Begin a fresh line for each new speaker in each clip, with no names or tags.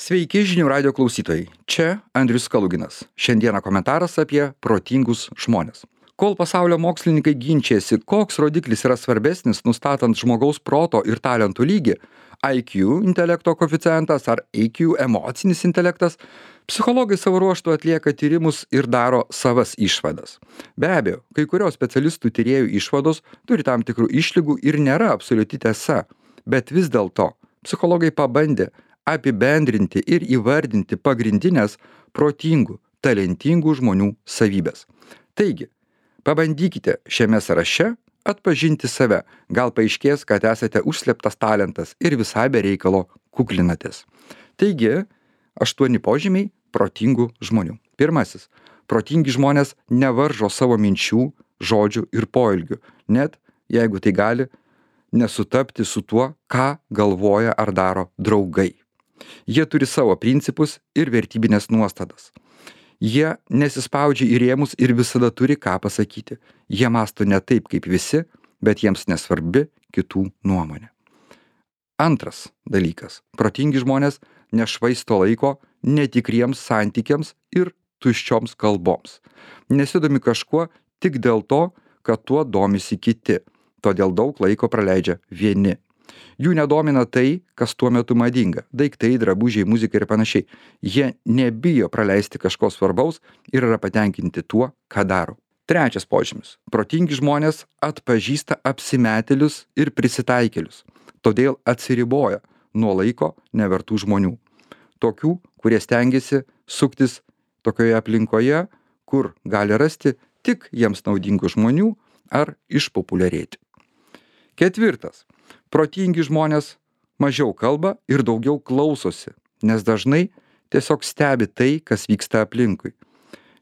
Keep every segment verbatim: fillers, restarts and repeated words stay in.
Sveiki žinių radio klausytojai. Čia Andrius Kaluginas. Šiandieną komentaras apie protingus žmonės. Kol pasaulio mokslininkai ginčiasi, koks rodiklis yra svarbesnis nustatant žmogaus proto ir talentų lygį – I Q intelekto koeficientas ar A Q emocinis intelektas – psichologai savo ruožtu atlieka tyrimus ir daro savas išvadas. Be abejo, kai kurios specialistų tyrėjų išvados turi tam tikrų išlygų ir nėra absoliuti tiesa, bet vis dėlto psichologai pabandė apibendrinti ir įvardinti pagrindinės protingų, talentingų žmonių savybės. Taigi, pabandykite šiame sąraše atpažinti save. Gal paaiškės, kad esate užslėptas talentas ir visai be reikalo kuklinatės. Taigi, aštuoni požymiai protingų žmonių. Pirmasis. Protingi žmonės nevaržo savo minčių, žodžių ir poelgių, net jeigu tai gali nesutapti su tuo, ką galvoja ar daro draugai. Jie turi savo principus ir vertybinės nuostatas. Jie nesispaudžia į rėmus ir visada turi ką pasakyti. Jie mąsto ne taip kaip visi, bet jiems nesvarbi kitų nuomonė. Antras dalykas. Protingi žmonės nešvaisto laiko netikriems santykiams ir tuščioms kalboms. Nesidomi kažkuo tik dėl to, kad tuo domisi kiti. Todėl daug laiko praleidžia vieni. Jų nedomina tai, kas tuo metu madinga. Daiktai, drabužiai, muzika ir panašiai. Jie nebijo praleisti kažko svarbaus ir yra patenkinti tuo, ką daro. Trečias požymis. Protingi žmonės atpažįsta apsimetėlius ir prisitaikėlius. Todėl atsiriboja nuo laiko nevertų žmonių. Tokių, kurie stengiasi suktis tokioje aplinkoje, kur gali rasti tik jiems naudingų žmonių ar išpopuliarėti. Ketvirtas. Protingi žmonės mažiau kalba ir daugiau klausosi, nes dažnai tiesiog stebi tai, kas vyksta aplinkui.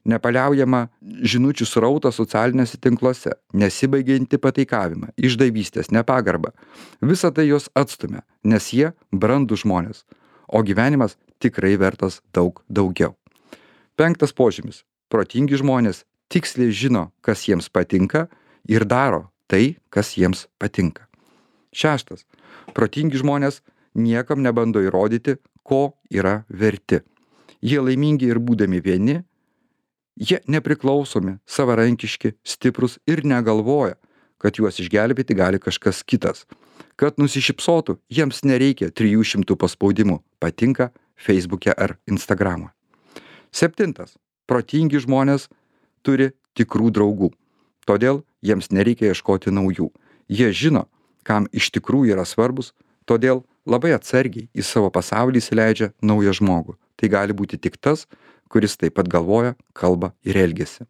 Nepaliaujama žinučių srautas socialinėse tinkluose, nesibaigianti pataikavimą, išdavystės, nepagarbą. Visa tai juos atstumia, nes jie brandūs žmonės, o gyvenimas tikrai vertas daug daugiau. Penktas požymis. Protingi žmonės tiksliai žino, kas jiems patinka ir daro tai, kas jiems patinka. Šeštas. Protingi žmonės niekam nebando įrodyti, ko yra verti. Jie laimingi ir būdami vieni, jie nepriklausomi, savarankiški, stiprus ir negalvoja, kad juos išgelbėti gali kažkas kitas. Kad nusišypsotų, jiems nereikia trijų šimtų paspaudimų, patinka Facebook'e ar Instagram'e. Septintas. Protingi žmonės turi tikrų draugų. Todėl jiems nereikia ieškoti naujų. Jie žino, kam iš tikrųjų yra svarbus, todėl labai atsargiai į savo pasaulį įsileidžia naują žmogų. Tai gali būti tik tas, kuris taip pat galvoja, kalba ir elgiasi.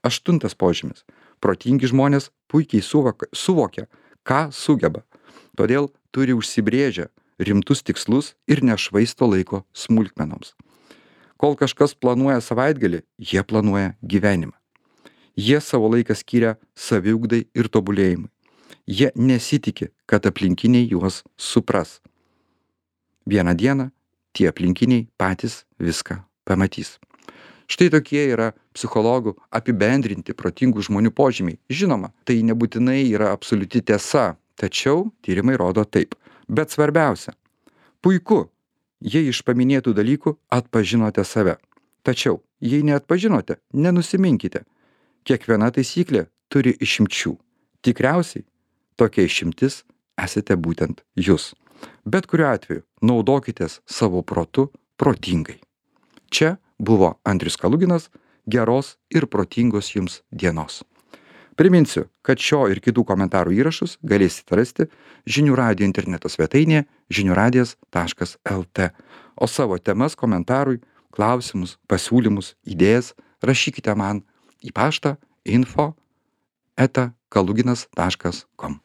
Aštuntas požymis. Protingi žmonės puikiai suvokia, suvokia, ką sugeba. Todėl turi užsibrėžę rimtus tikslus ir nešvaisto laiko smulkmenoms. Kol kažkas planuoja savaitgalį, jie planuoja gyvenimą. Jie savo laiką skiria saviugdai ir tobulėjimui. Jie nesitiki, kad aplinkiniai juos supras. Vieną dieną tie aplinkiniai patys viską pamatys. Štai tokie yra psichologų apibendrinti protingų žmonių požymiai. Žinoma, tai nebūtinai yra absoliuti tiesa, tačiau tyrimai rodo taip. Bet svarbiausia, puiku, jei iš paminėtų dalykų atpažinote save. Tačiau, jei neatpažinote, nenusiminkite. Kiekviena taisyklė turi išimčių. Tikriausiai, tokia išimtis esate būtent jūs. Bet kuriuo atveju naudokitės savo protu protingai. Čia buvo Andrius Kaluginas. Geros ir protingos jums dienos. Priminsiu, kad šio ir kitų komentarų įrašus galėsite rasti Žinių radijo interneto svetainėje žinių radijas taškas el tė. O savo temas komentarui, klausimus, pasiūlymus, idėjas rašykite man į paštą info eta kaluginas taškas kom.